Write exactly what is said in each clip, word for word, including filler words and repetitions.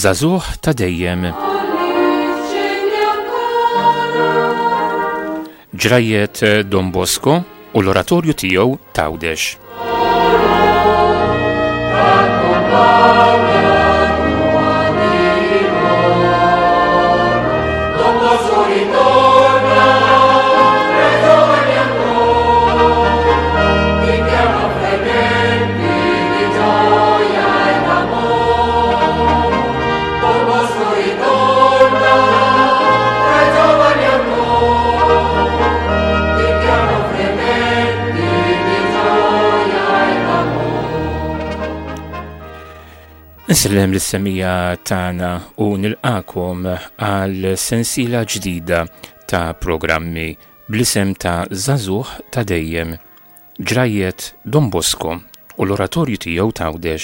Żagħżugħ ta' dejjem. Ġrajjet Don Bosco u l-oratorju tiegħu t'Għawdex. Nsellem lis-semija tagħna u nilqakom għal sensiela ġdida ta' programmi bl-isem ta' Żagħżugħ ta' dejjem, ġrajjet Don Bosco u l-oratorju tiegħu t'Għawdex.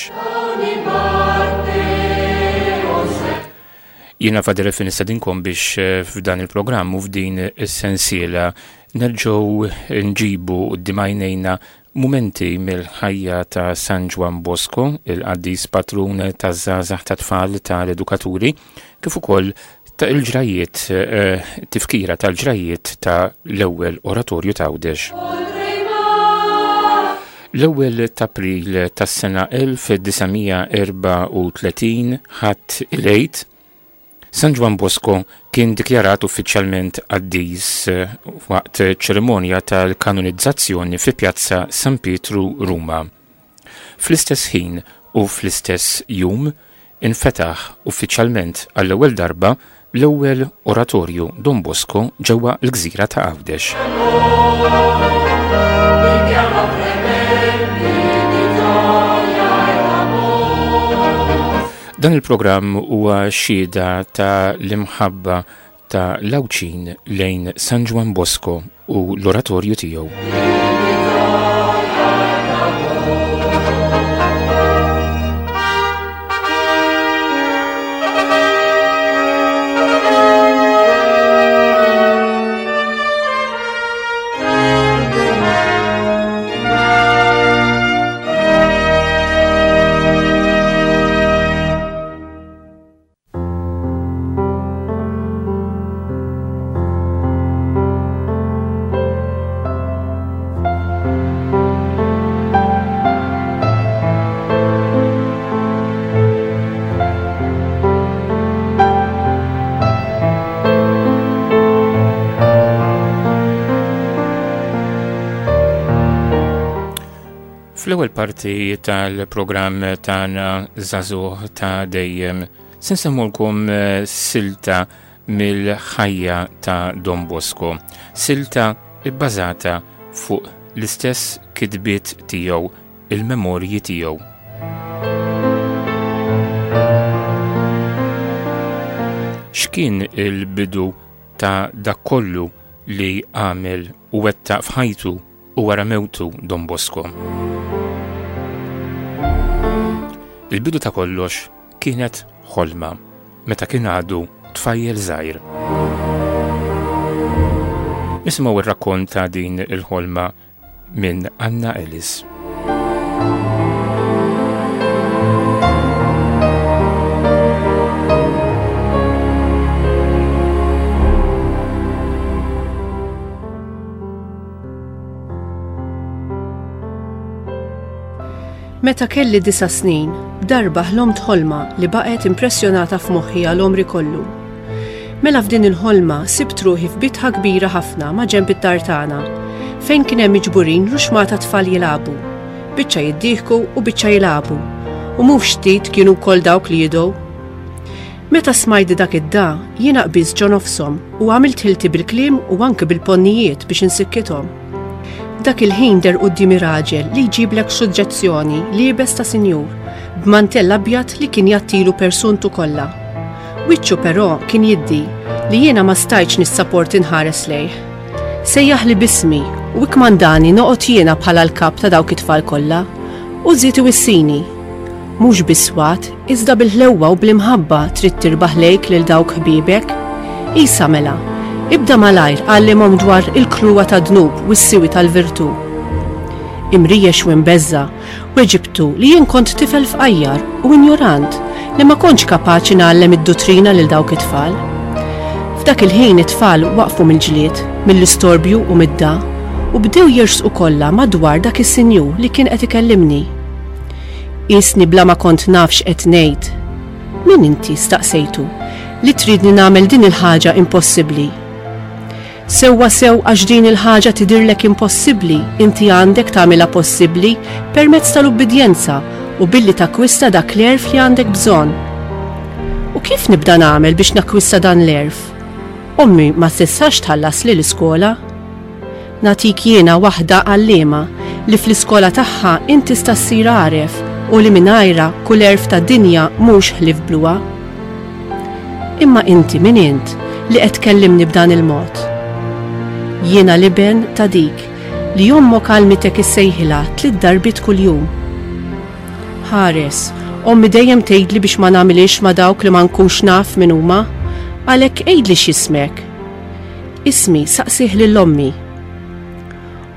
Jiena Father Elfin nistedinkom biex f'dan il-programm u f'din is-sensiela nerġgħu nġibu quddiem għajnejna mumenti mill-ħajja ta' San Ġwann Bosco, il-qaddis patrun taż-żgħażagħ ta' tfal tal-edukaturi, kif ukoll ta' il-ġrajiet, eh, tifkira tal-ġrajiet ta' l-ewwel oratorju ta' Għawdex. L-ewwel ta' April tas-sena elf disa' mija erbgħa u tletin ħadd il-Għid, San Ġwann Bosco kien dikjarat uffiċjalment qaddis waqt ċerimonja tal-kanonizzazzjoni fi Pjazza San Pietru Ruma. Fl-istess ħin u fl-istess jum infetaħ uffiċjalment għall-ewwel darba l-ewwel oratorju Don Bosco ġewwa l-gżira ta' Għawdex. Dan il-programm huwa xhieda ta' l-imħabba ta' l-Għawdxin lejn San Ġwann Bosco u l-oratorju tiegħu. Fl-ewwel parti tal-programm tagħna Żagħżugħ ta' dejjem se nsemmulkom silta mill-ħajja ta' Don Bosco, silta bbażata fuq l-istess kitbiet tiegħu, il-memorji tiegħu. X'kien il-bidu ta' dak kollu li għamel u wettaq f'ħajtu u wara mewtu Don Bosco? Il-bidu ta' kollox kienet ħolma meta kien għadu tfajjel żgħir. Nisimgħu r-rakkont ta' din il-ħolma minn Anna Ellis. Meta kelli disa' snin, darba ħlomt ħolma li baqgħet impressjonata f'moħħi għal għomri kollu. Mela f'din il-ħolma sibt ruħi f'bitħa kbira ħafna ma' ġenb id-dar tagħna, fejn kien hemm miġburin ruxmata tfal jilagħbu, biċċa jiddieħku u biċċa jilagħbu, u mhux ftit kienu wkoll dawk li jidgħu. Meta smajt dak id-da, jiena qbiż ġo nofshom u għamilt ħilti bil-kliem u anke bil-ponnijiet biex insikkithom. Dak il-ħin der quddiemi raġel li jġiblek suġġezzjoni liebes ta' sinjur, b'mantell abjad li kien jattilu persuntu kollha. Wiċċu però kien jiddi li jiena ma stajtx nissaporti nħares lejh. Sejjaħ li bismi u ikmandani noqgħod jiena bħala l-kap ta' dawk it-tfal kollha u żied iwissini. Mhux biswat, iżda bil-ħlewwa u bl-imħabba trid tirbaħ lejk lil dawk ħbiebek. Isa mela, ibda malajr għallimhom dwar il-kruwa ta' dnub u s-siwi tal-virtu. Imrijex u imbeżza, weġibtu li jien kont tifel fqajjar u injorant li ma kontx kapaċi ngħallem id-duttrina lil dawk it-tfal. F'dak il-ħin it-tfal waqfu mill-ġlied, mill-istorbju u mid-da u bdew jersqu kollha madwar dak is-sinjur li kien qed ikellimni. Qisni bla ma kont naf x'qed ngħid. Min inti, staqsejtu, li tridni nagħmel din il-ħaġa impossibbli? Sewwa sew għax din il-ħaġa tidhirlek impossibbli, inti għandek tagħmilha possibbli permezz tal-ubbidjenza u billi takkwista dak l-għerf li għandek bżonn. U kif nibda nagħmel biex nakkwista dan l-għerf? Ommi ma tistax tħallasli l-iskola. Nagħtik jiena waħda għalliema li fl-iskola tagħha int tista' ssir għaref u li mingħajrha kull għerf tad-dinja mhux ħlief bluha. Imma inti min int li qed tkellimni b'dan il-mod? Jiena l-iben ta' dik li ommok għallmitek issejħilha tliet darbiet kuljum. Ħares, ommi dejjem tgħidli biex ma nagħmilhiex ma' dawk li ma nkunx naf min huma, għalhekk għidli x'jismek. Ismi saqsih lil ommi.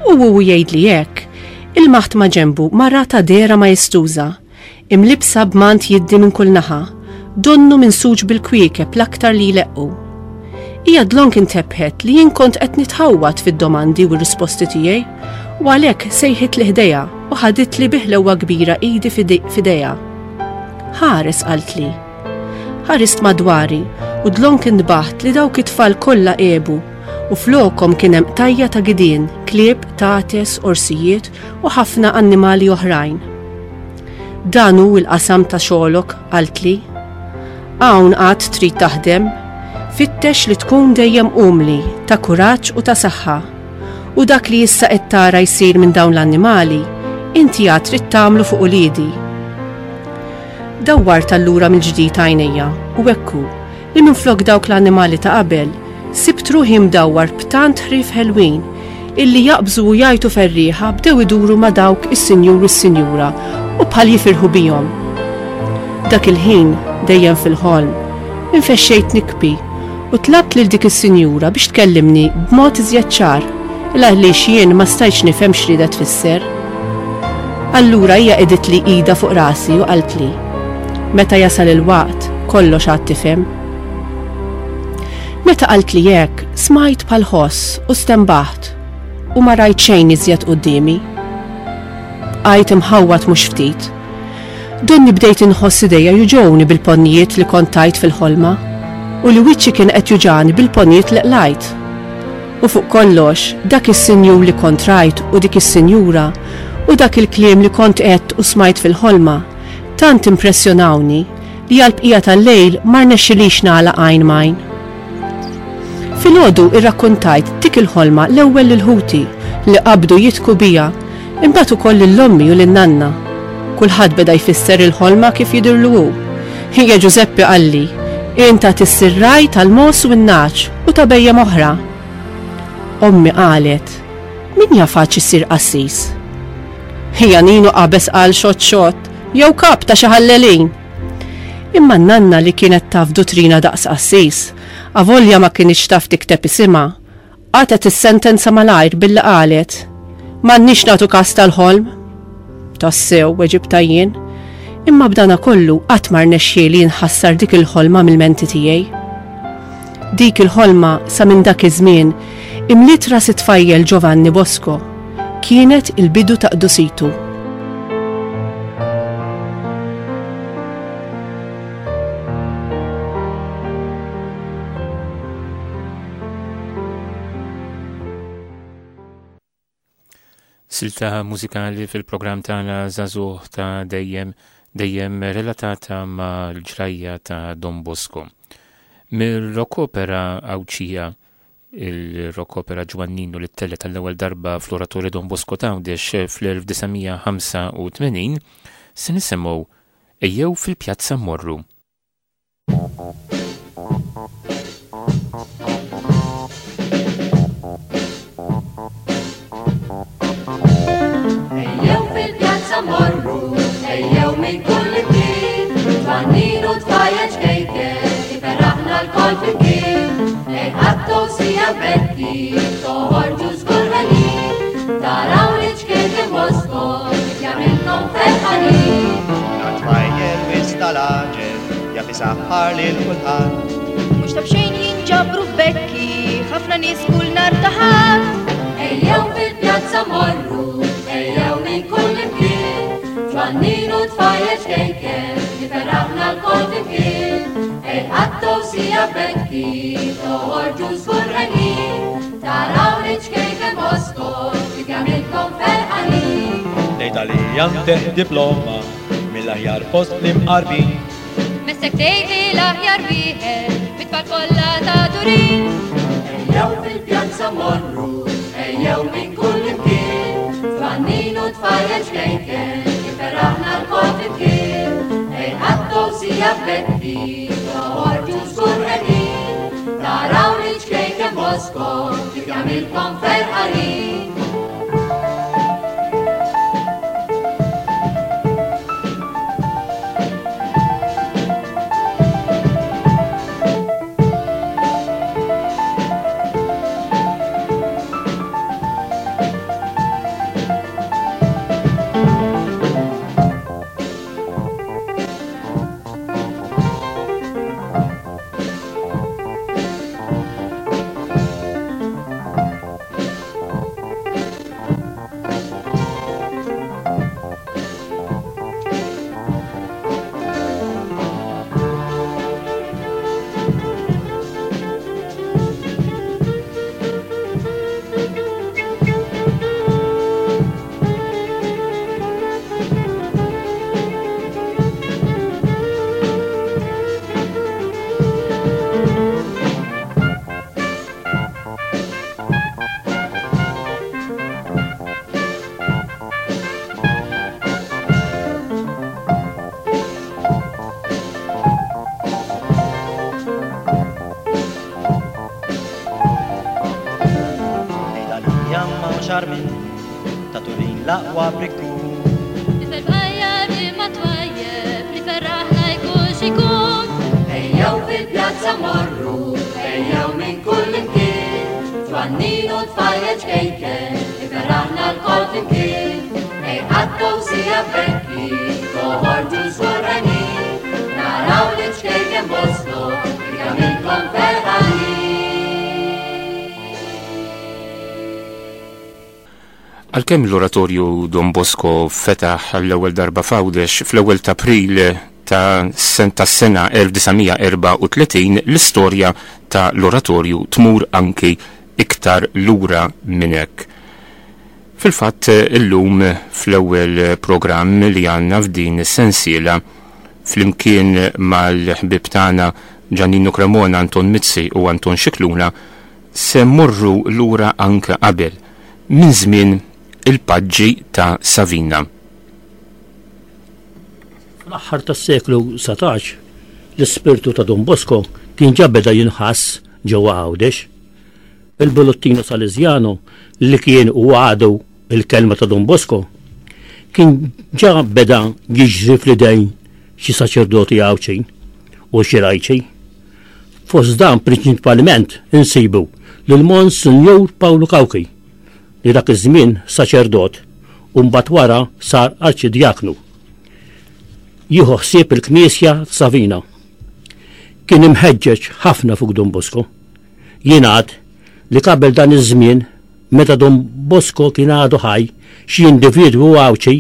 U hu jgħidli hekk, ilmaħt ma' ġenbu mara ta' dehra majestuża, imlibsa b'mant jiddi minn kull naħa, donnu minsuġ bil-kwiekeb l-aktar li jleqqu. Hija dlonk intebħet li jien kont qed nitħawwad fid-domandi u r-risposti tiegħi, u għalhekk sejħitli ħdejha u ħaditli bi ħlewwa kbira idi f'idejha. Ħares, qaltli. Ħarist madwari u dlonk intbaħt li dawk it-tfal kollha għebu u flokhom kien hemm qtajja ta' gidien, klieb, tates, orsijiet u ħafna annimali oħrajn. Dan hu l-qasam ta' xogħlok, qaltli. Hawn għad trid taħdem, fittex li tkun dejjem umli, ta' kuraġġ u ta' saħħa. U dak li issa qed tara jsir minn dawn l-annimali, inti għad trid tagħmlu fuq uliedi. Dawwart allura mill-ġdid għajnejja u hekk hu li minflok dawk l-annimali ta' qabel, sibt ruħi mdawwar b'tant ħrief ħelwin illi jaqbżu u jgħajtu ferrieħa bdew iduru ma' dawk is-sinjur u s-sinjura u bħal jifirħu bihom. Dak il-ħin, dejjem fil-ħolm, infexxejt nikbi u tlabt lil dik is-sinjura biex tkellimni b'mod iżjed ċar, il għaliex jien ma stajtx nifhem x'riedet tfisser. Allura hija qegħditli idha fuq rasi u qaltli, Meta jasal il-waqt, kollox għad tifhem. Meta qaltli hekk, smajt bħal ħoss u stenbaħt u ma rajt xejn iżjed quddiemi. Bqajt imħawwad mhux ftit. Donni bdejt inħoss idejja juġgħuni bil-ponnijiet li kont tajt fil-ħolma u li wiċċi kien qed juġgħani bil-ponnijiet li qlajt. U fuq kollox, dak is-sinjur li kont rajt u dik is-sinjura u dak il-kliem li kont għedt u smajt fil-ħolma tant impressjonawni li għall-bqija tal-lejl ma rnexxilix nagħlaq għajn m'għajn. Filgħodu irrakkuntajt dik il-ħolma l-ewwel lil ħuti li qabdu jidhku bija, imbagħad ukoll lil ommi u lin-nanna. Kulħadd beda jfisser il-ħolma kif jidhirlu hu. Ħija Ġużeppi qalli, Int għad issir ragħaj tal-mogħoż u n-nagħaġ u ta' bhejjem oħra. Ommi qalet, Min jaf għadx issir qassis? Ħija Ninu qabeż qal xott xott, jew kap ta' xi ħallelin. Imma n-nanna li kienet taf duttrina daqs qassis, avolja ma kinitx taf tikteb isimha, qatgħet is-sentenza malajr billi qalet, M'għandniex nagħtu kas tal-ħolm. Tassew, weġibtha jien, imma b'dana kollu qatt ma rnexxieli nħassar dik il-ħolma mill-menti tiegħi. Dik il-ħolma sa minn dak iż-żmien imliet ras it-tfajjel Giovanni Bosco. Kienet il-bidu ta' qdusitu. Silta mużikali fil-programm tagħna Żagħżugħ ta' dejjem dejjem relatata ma' l-ġrajja ta' Don Bosco. Mir-rock-opera Għawdxija, il-rock-opera Ġwanninu li ttellgħet għall-ewwel darba fl-Oratorju Don Bosco t'Għawdex fl-elf disa' mija ħamsa u tmenin, se nisimgħu Ejjew fil-Pjazza Mmorru. Ejjew fil-pjazza mmorru, ejjew minn kull imkien, Ġwanninu tfajjel ċkejken, iferraħna lkoll flimkien. Ej ħattu sija Betty, toħorġu żgur ħelin, taraw li ċkejken Bosco, kif jagħmilkom ferħanin. Tfajjel wis tal-għaġeb, Isaħħar lil kulħadd. Mhux ta' b'xejn jinġabru f'Bekki ħafna nies kull nhar ta' Ħadd. Ejjew fil-pjazza morru, ejjew minn kull imkien, Ġwanninu tfajjel ċkejken, iferraħna lkoll flimkien. Ej għattu sija Bekki, toħorġu żgur henjin, taraw li ċkejken Bosco, kif jagħmilkom ferħanin. Ngħid għalija ntih diploma mill-aħjar fost l-imqarbin. Messek tgħid li l-aħjar wieħed mit-tfal kollha ta' Turin. Ejjew fil-pjazza morru, ejjew minn kull imkien, Ġwanninu tfajjel ċkejken, iferraħna lkoll flimkien. Ej għattu sija Bekki, toħorġu żgur henjin, taraw li ċkejken Bosco, kif jagħmilkom ferħanin. L-aqwa brikkun. Tifel fqajjar imma twajjeb li ferraħna jkun x'ikun. Ejjew fil-pjazza morru, ejjew minn kull imkien, Ġwanninu tfajjel ċkejken, iferraħna lkoll flimkien. Ej għattu sija Bekki, toħorġu żgur henjin, naraw li ċkejken Bosco, kif jagħmilkom ferħanin. Għalkemm l-oratorju Don Bosco fetaħ l-ewwel darba f'Għawdex fl-ewwel ta' April ta' sen-, tas-sena elf disa' mija erbgħa u tletin, l-istorja ta' l-oratorju tmur anki iktar lura minn hekk. Fil-fatt illum fl-ewwel programm li għandna f'din is-sensiela flimkien mal-ħbieb tagħna Giannino Cremona, Anton Mizzi u Anton Scicluna se mmorru lura anke qabel minn żmien il-paġġi ta' Savina. Fl-aħħar tas-seklu satax, l-ispirtu ta' Don Bosco kien ġa beda jinħass ġewwa Għawdex. Il-Bollottino Salesiano li kien u għadu il-kelma ta' Don Bosco kien ġa beda jiġri fl-idejn xi saċerdoti Għawdxin u xi lajċi. Fost dan prinċipalment insibu lil Monsinjur Pawlu Cauchi li dak iż-żmien saċerdot u mbagħad wara sar arċidjaknu. Jieħu ħsieb il-Knisja Savina. Kien imħeġġeġ ħafna fuq Don Bosco. Jingħad li qabel dan iż-żmien meta Don Bosco kien għadu ħaj, xi individwu Għawdxi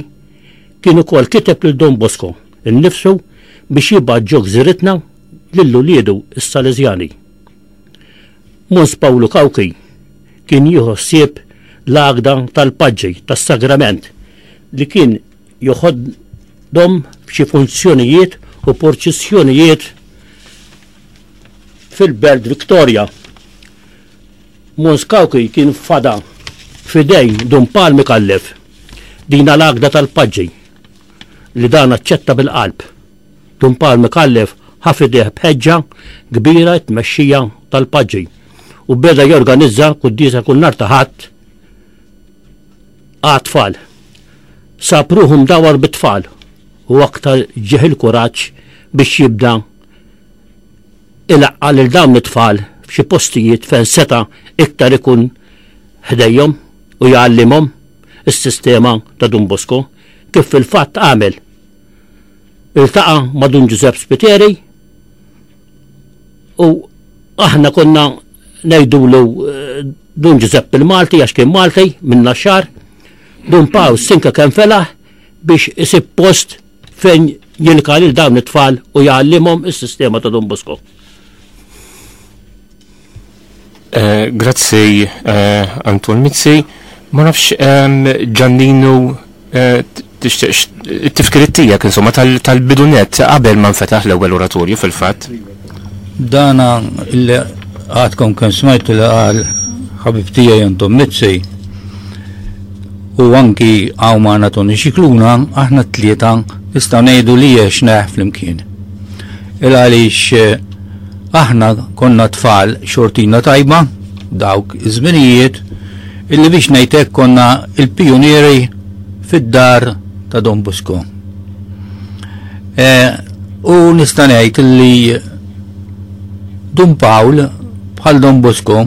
kien ukoll kiteb lil Don Bosco innifsu biex jibgħat ġo gżiritna lil uliedu s-Salesjani. Mons Pawlu Cauchi kien jieħu ħsieb l-għaqda tal-paġġi tas-sagrament li kien joħodhom f'xi funzjonijiet u porċissjonijiet fil-Belt Victoria. Mons Cauchi kien fada f'idejn Dun Pawl Micallef din l-għaqda tal-paġġi li dan aċċetta bil-qalb. Dun Pawl Micallef ħa f'idejh b'ħeġġa kbira t-tmexxija tal-paġġi u beda jorganizza quddiesa kull nhar ta' Ħadd għat-tfal. Sab ruħu mdawar bit-tfal u aktar ġieħ il-kuraġġ biex jibda ilaqqa' lil dawn it-tfal f'xi postijiet fejn seta' iktar ikun ħdejhom u jgħallimhom is-sistema ta' Don Bosco, kif fil-fatt għamel. Iltaqa' ma' Dun Giuseppe Spiteri U aħna konna ngħidulu Dun Ġużepp il-Malti għax kien Malti minn Naxxar. Dun Pawl stinka kemm felaħ biex isib post fejn jilqa' lil dawn it-tfal u jgħallimhom is-sistema ta' Don Bosco. Grazzi Anton Mizzi. Ma nafx Giannino tixtieq it-tifkiriet tiegħek insomma tal-bidunet qabel ma nfetaħ l-ewwel oratorju fil-fatt. Dana illi għadkom kemm smajtu li qal ħabib tiegħi Anton Mizzi u anki hawn magħna Tony Scicluna, aħna t-tlieta nistgħu ngħidu li għexna flimkien. Il għaliex aħna konna tfal xortina tajba dawk iż-żminijiet illi biex ngħidlek konna il-pijunieri fid-dar ta' Don Bosco. E, u nista' ngħid illi Dun Pawl bħal Don Bosco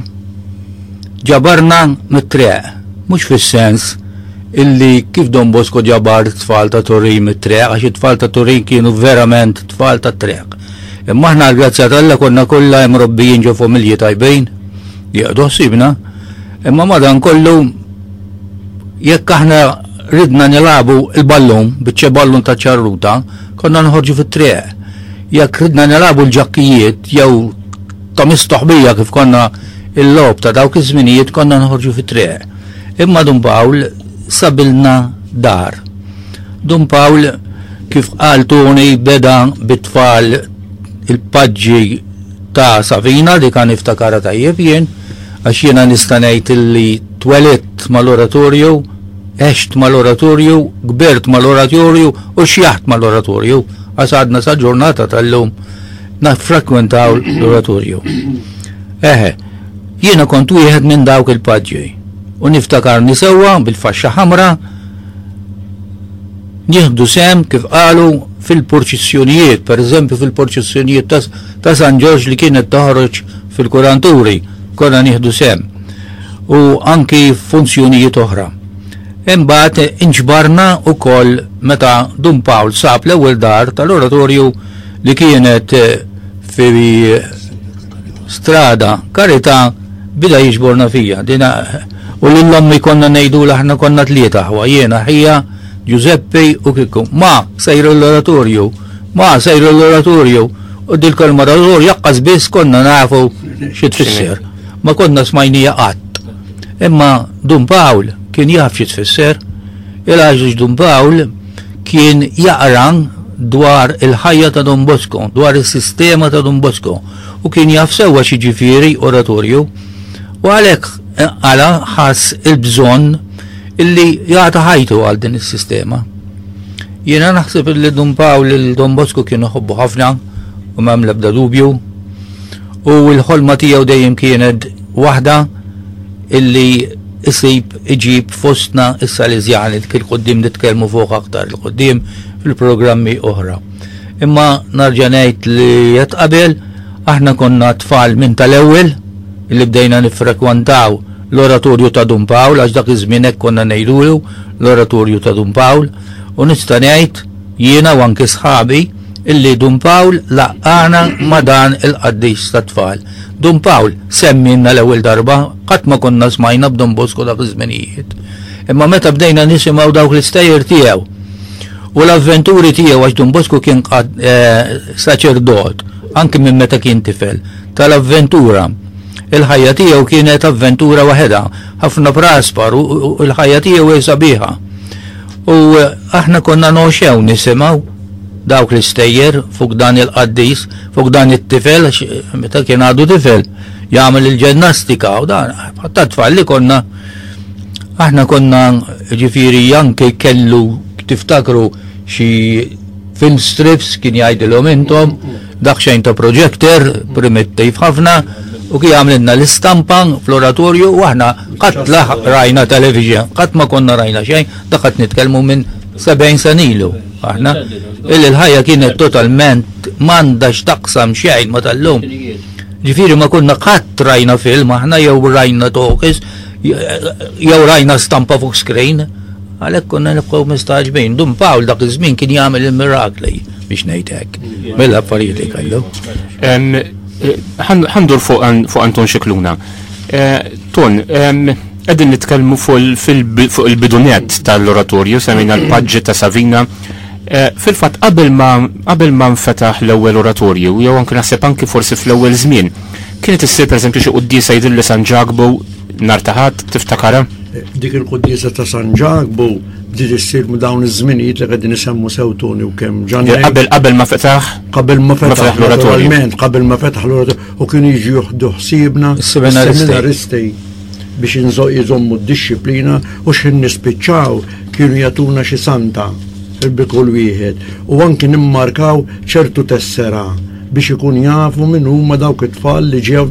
ġabarna mit-triq, mhux fis-sens illi kif Don Bosco ġabar tfal ta' Turin mit-triq, għax it-tfal ta' Turin kienu verament tfal ta' triq. Imma aħna għall-grazzja t'Alla konna kollha imrobbijin ġo familji tajbin, jieqdu ħsibna, imma madankollu jekk aħna ridna nilagħbu il-ballun, biċċa ballun ta' ċarruta, konna nħorġu fit-triq. Jekk ridna nilagħbu l-ġakkijiet jew ta' mistoħbija kif konna il-logħob ta' dawk iż-żminijiet konna nħorġu fit-triq. Imma Dun Pawl sabilna dar. Dun Pawl kif qal Tony beda bit-tfal il-paġġi ta' Savina li kan iftakara tajjeb jien, għax jiena nista' ngħid illi twelidt mal-oratorju, għext mal-oratorju, kbirt mal-oratorju u xjaħt mal-oratorju, għax għadna sa ġurnata tal-lum naffrekwentaw l-oratorju. Eħe, jiena kont wieħed minn dawk il-paġġi u niftakarni sewwa bil-faxxa ħamra nieħdu sem kif qalu fil-purċissjonijiet, per eżempju fil-purċissjonijiet ta', ta' San Ġorġ li kienet toħroġ fil-kuranturi, konna nieħdu sem u anki funzjonijiet oħra. Imbagħad inġbarna wkoll meta Dun Pawl sab l-ewwel dar tal-oratorju li kienet fi strada Karità, bida jiġborna fija. Dina, u lil-ommi konna ngħidu l aħna konna tlieta aħwa, jiena ħija, Giuseppe u Kikku. Ma sejru l-oratorju, ma sejru l-oratorju, u dil-kelma oratorju jaqqas biss konna nafu xi tfisser. Ma konna smajnija qatt. Imma Dun Pawl kien jaf xi tfisser, il-għax Dun Pawl kien jaqra dwar il-ħajja ta' Don Bosco, dwar is-sistema ta' Don Bosco, u kien jaf sewwa xi ġifieri oratorju, u għalhekk għala ħass il-bżonn illi jagħti ħajtu għal din is-sistema. Jiena naħseb illi Dun Pawl lil Don Bosco kienu ħobbu ħafna u m'hemm l-ebda dubju, u l-ħolma tiegħu dejjem kienet waħda illi isib iġib fostna is-Salesjani kif quddiem nitkellmu fuq aktar il quddiem fil-programmi oħra. Imma narġa' ngħid li qed qabel aħna konna tfal minn tal-ewwel li bdejna niffrekwantaw l-oratorju ta' Dun Pawl, għax dak iż-żmien hekk konna ngħidulu l-oratorju ta' Dun Pawl, u nista' ngħid jiena u anke sħabi illi Dun Pawl laqqana ma' dan il-qaddis tat-tfal. Dun Pawl semmilna l-ewwel darba, qatt ma konna smajna b'Don Bosco dak iż-żminijiet. Imma meta bdejna nisimgħu dawk l-istejjer tiegħu u l-avventuri tiegħu, għax Dun Bosco kien saċerdot anke minn meta kien tifel, tal-avventura. Il-ħajja tiegħu kienet avventura waħedha, ħafna praspar u l-ħajja tiegħu hija sabiħa. U aħna konna noxew nisimgħu dawk l-istejjer fuq dan il-qaddis, fuq dan it-tifel, meta kien għadu tifel, jagħmel il-ġennastika u dan, ħatta tfal li konna, aħna konna ġifieri anke kellu tiftakru xi film strips kien jgħidilhom intom, dak xejn ta' projector primittiv ħafna, u kien jagħmlilna l-istampa fl-oratorju u aħna qatt la rajna television, qatt ma konna rajna xejn, dak qed nitkellmu minn sebgħin sena ilu. Aħna illi l-ħajja kienet totalment m'għandha x'taqsam xejn ma tal-lum. Ġifieri ma konna qatt rajna film aħna jew rajna talkies jew rajna stampa fuq screen, għalhekk konna nibqgħu mistagħġbin. Dun Pawl dak iż-żmien kien jagħmel il-mirakli biex ngħid hekk mill-affarijiet li kellu. Ħa ndur fuq Anton Scicluna. Ton, qegħdin nitkellmu fuq il-bidunet tal-oratorju, semmejna l-paġġi ta' Savina. Fil-fatt qabel ma qabel ma nfetaħ l-ewwel oratorju, jew anke naħseb anke forsi fl-ewwel żmien, kienet issir pereżempju xi quddiesa jidhirli San Ġakbu nhar ta' Ħadd, tiftakarha? Dik il-quddiesa ta' San Ġakbu bdiet issir ma' dawn iż-żminijiet li qegħdin isemmu sew Toni u kemm Ġanni. Qabel qabel ma fetaħ? Qabel ma fetaħ l-oratorju. Qabel ma fetaħ l-oratorju u kienu jiġu jieħdu ħsiebna seminaristi biex jżommu d-dixxiplina u x'ħin nispiċċaw kienu jagħtuna xi santa bi kull wieħed u anki nimmarkaw ċertu tessera biex ikun jafu min huma dawk it-tfal li ġew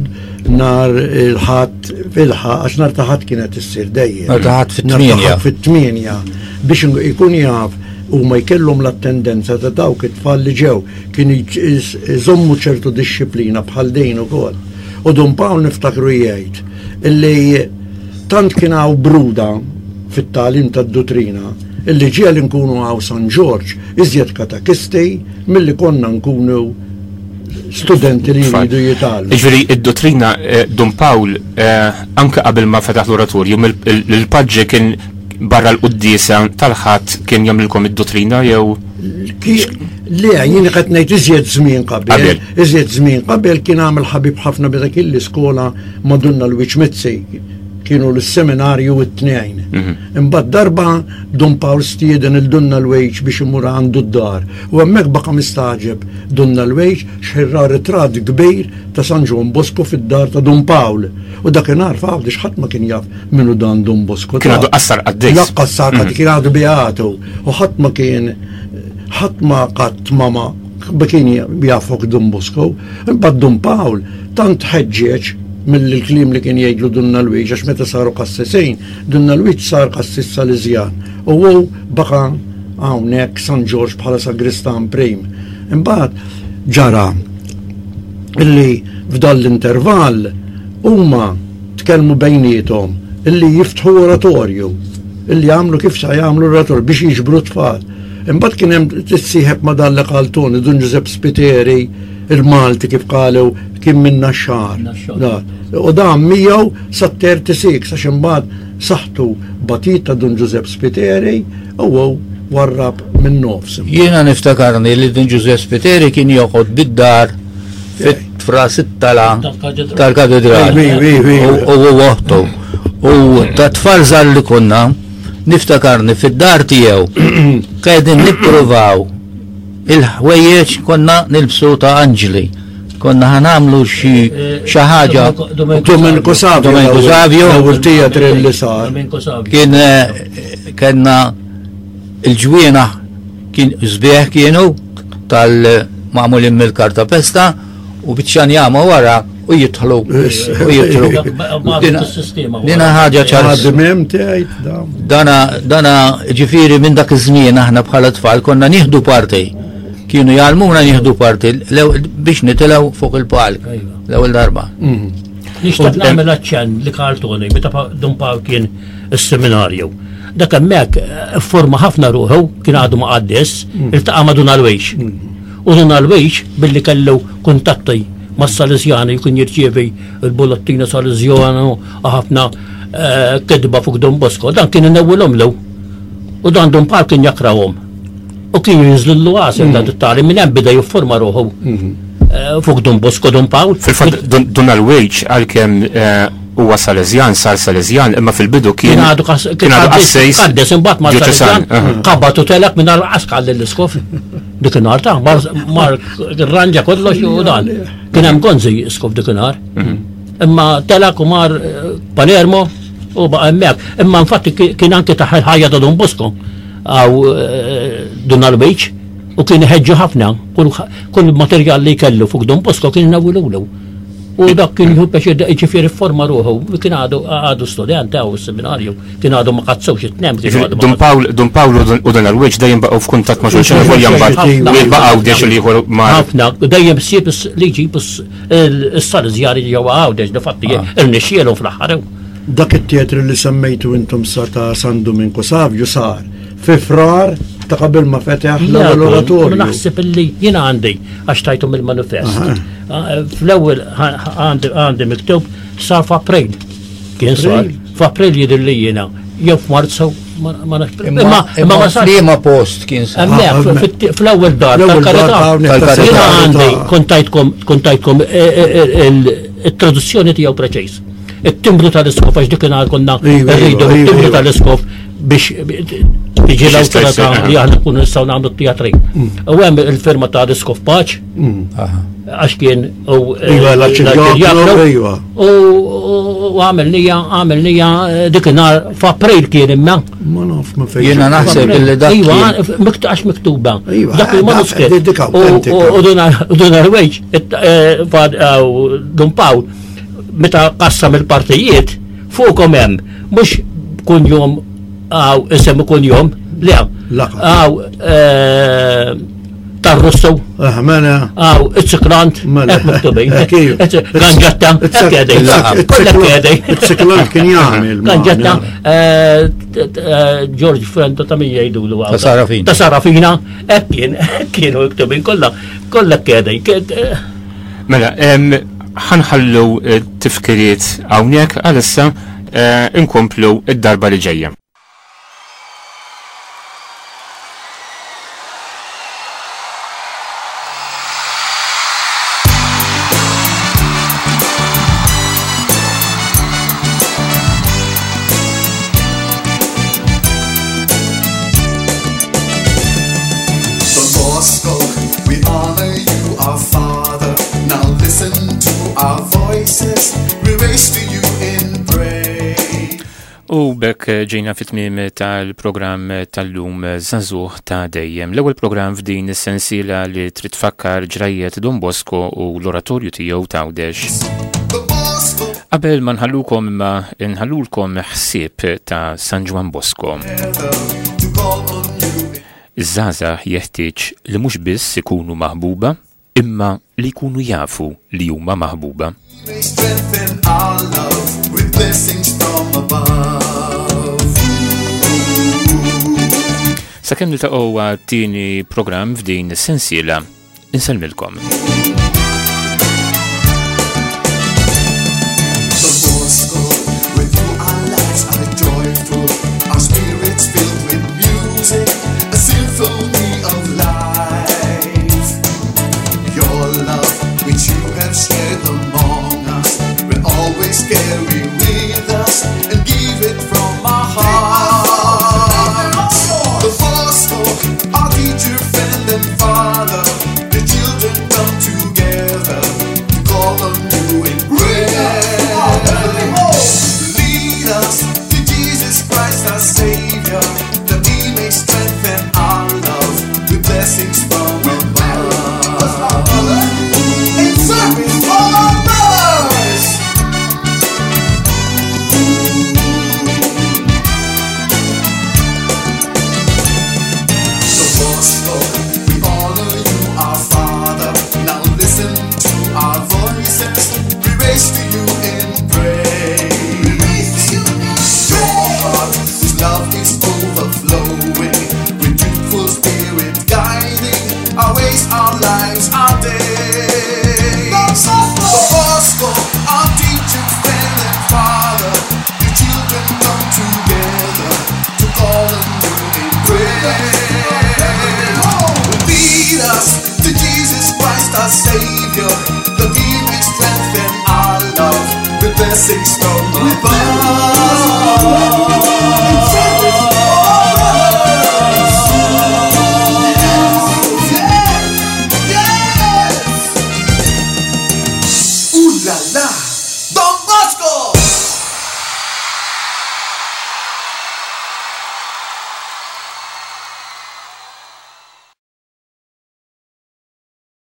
nhar il-Ħadd fil-ħadd, għax nhar ta' Ħadd kienet issir dejjem. Nhar ta' Ħadd fit-tmienja. Fit-tmienja biex ikun jaf u ma jkellhom l-attendenza ta' dawk it-tfal li ġew kienu jżommu ċertu dixxiplina bħal dejn ukoll. U Dun Pawl niftakru jgħid illi tant kien hawn bruda fit-tagħlim tad-duttrina illi ġieli nkunu hawn San Ġorġ iżjed katekisti milli konna nkunu studenti li jridu jitgħallmu. Ġifieri id-dottrina, Dun Pawl, anke qabel ma fetaħ l-oratorju, il-paġġi kien barra l-quddiesa tal-Ħadd kien jagħmlilkom id-dottrina jew? Le, jien qed ngħid iżjed żmien qabel. Iżjed żmien qabel kien għamel ħabib ħafna meta kien l-iskola ma' Dun Alwiġ Mizzi, kienu l-seminarju it-tnejn. Imbagħad darba Dun Pawl stieden il Dun Alwiġ biex imur għandu d-dar. U hemmhekk baqa' mistagħġeb Dun Alwiġ x'ħin ra ritratt kbir ta' San Ġwann Bosco fid-dar ta' Dun Pawl. U dakinhar f'Għawdex ħadd ma kien jaf minnu dan Dun Bosco. Kien għadu qassar qaddis. Laqqas sar qaddis, kien għadu beatu. U ħadd ma kien, ħadd ma qatt ma ma kien jafok Dun Bosco. Imbagħad Dun Pawl tant ħeġġeġ mill-kliem li kien jgħidlu Dun Alwiġ, għax meta saru qassisin, Dun Alwiġ sar qassis Salesjan u hu baqa' hawnhekk San Ġorġ bħala sagristan prim. Imbagħad ġara illi f'dan l-intervall huma tkellmu bejniethom illi jiftħu oratorju, illi jagħmlu kif sa jagħmlu oratorju biex jiġbru tfal. Imbagħad kien hemm tissieħeb ma' dan li qal Toni, Dun Ġużepp Spiteri, il-Malti kif qalu kien minna xahar. U dan miegħu sa thirty-six, għax imbagħad saħtu batit ta' Dun Ġużepp Spiteri u hu warrab minn nofs. Jiena niftakarni li Dun Ġużepp Spiteri kien joqgħod bid-dar fit-fras it-tala tal-katedral. U hu oħtu. U ta' tfal żgħar li konna niftakarni fid-dar tiegħu qegħdin nippruvaw il-ħwejjeġ konna nilbsu ta' anġli. Konna ħa nagħmlu xi xi ħaġa. Domenico Savio. Domenico Savio. L-ewwel teatr li sar. Kien kellna il-ġwiena kien sbieħ kienu tal-magħmulin mill-kartapesta u biċċa njama wara u jidħlu u jidħlu. Dina ħaġa ċar. Dana dana ġifieri minn dak iż-żmien aħna bħala tfal konna nieħdu parti. Kienu jgħallmuna nieħdu parti biex nitilgħu fuq il-palk l-ewwel darba. Nixtieq nagħmel aċċenn li qal Toni meta Dun Pawl kien is-seminarju. Dak hemmhekk forma ħafna ruħu, kien għadu ma qaddis, iltaqa' ma' Dun Alwiġ. U Dun Alwiġ billi kellu kuntatti mas-Salesjani kien jirċievi il-bullettina Salesjana u ħafna kitba fuq Don Bosco, dan kien inewwilhom lu. U dan Dun Pawl kien jakrahom. U kien jinżlillu għasel dan it-tali minn hemm beda jifforma ruħu fuq Don Bosco Dun Pawl. Fil-fatt Dun Alwiġ għalkemm huwa Salesjan, sar Salesjan, imma fil-bidu kien għadu kien għadu qassejs qaddes imbagħad mar dioċesan. Salesjan, qabbad u telaq minn għal lill-iskof. Dik in-nhar ta' mar mar rranġa kollox u dan. Kien hemm Gonzi iskof dik in-nhar. Imma telaq u mar Palermo u baqa' hemmhekk. Imma infatti kien anke taħ il-ħajja ta' Don Bosco għaw Dun Alwiġ u kien iħeġġu ħafna kull materjal li kellu fuq Don Bosco kien inawwilulu. U dak kien jieħu pjaċir, ġifieri forma ruħu, kien għadu għadu student għaw seminarju, kien għadu ma qazzewx it-tnem, kien għadu ma Dun Pawl, Dun Pawl u Dun Alwiġ dejjem baqgħu f'kuntatt ma' xulxin, u volja mbagħad Ħafna. u jibqgħu Għawdex li ieħor ma' Ħafna, u dejjem ssib li jġib is-Salesjani ġewwa Għawdex, difatti irnexxielhom fl-aħħar. Dak it-teatru li semmejtu intom sa ta' San Domenico Savio sar fi Frar Ta' qabel ma fetaħ l-ewwel oratorju. Naħseb illi jiena għandi għax tajthom il-manifest. Fl-ewwel għandi miktub sar f'April. Kien sar f'April jidher li jiena jew f'Marzu ma nafx. Imma ma sar. Liema post kien sar? Fl-ewwel dar tal-Karità. Jiena għandi kont tajtkom it-traduzzjoni tiegħu preċiż. It-timbru tal-iskof għax dik konna rridu it-timbru tal-iskof biex tiġi l-awtorità li aħna nkunu nistgħu nagħmlu t-teatrin. U hemm il-firma ta' l-iskof Paċ, għax kien u l-arċidjaknu u għamilnija għamilnija dik inhar f'April kien imma. Ma naf ma fejn. Jiena naħseb illi dak. Iva, għax miktuba. Dak il-manuskritt. U Dun Arwejġ, Dun Pawl, meta qassam il-partijiet fuqhom hemm mhux kunjom għaw isem kunjom, le għaw tar-Russu, għaw iċ-ċiklant, hekk miktubin, Ganġetta, hekk qegħdin, kollha qegħdin. Iċ-ċiklant kien jagħmel. Ganġetta, George Frendo ta' min jgħidulu għaw. Ta' Sarafina. Ta' Sarafina, hekk kien, kienu miktubin kollha, kollha qegħdin. Mela, ħanħallu tifkiriet hawnhekk għalissa inkomplu id-darba li ġejja. Don Bosco, we honor you, our Father. Now listen to our voices, we raise to you in praise. U bekk ġejna fit-tmiem tal-programm tal-lum Żagħżugħ ta' Dejjem. L-ewwel programm f'din is-sensiela li trid tfakkar ġrajjet Don Bosco u l-oratorju tiegħu t'Għawdex. Qabel ma nħallukom imma nħallulkom ħsieb ta' San Ġwann Bosco. Iż-żgħażagħ jeħtieġ li mhux biss ikunu maħbuba, imma li jkunu jafu li huma maħbuba. May strengthen our love with blessings from above. Sakemm niltaqgħu għat-tieni programm f'din is-sensiela, insellmilkom. Don Bosco, with you our lives are joyful, our spirits filled with music, a symphony of life. Your love, which you have shared among us, will always carry with us and give it from our hearts. Don Bosco, our teacher, friend and father, the children come together to call on you in prayer. Lead us to Jesus Christ, our Savior, that He may strengthen our love with blessings from above. In service for our brothers. Don Bosco, we honor you, our Father. Now listen to our voices, we raise to you in praise. Your heart, whose love is overflowing, with youthful spirit guiding our ways, our lives, our days. Don Bosco, our teacher, friend and father, the children come together to call on you in prayer. Lead us to Jesus Christ, our Savior, that He may strengthen our love with blessings from above.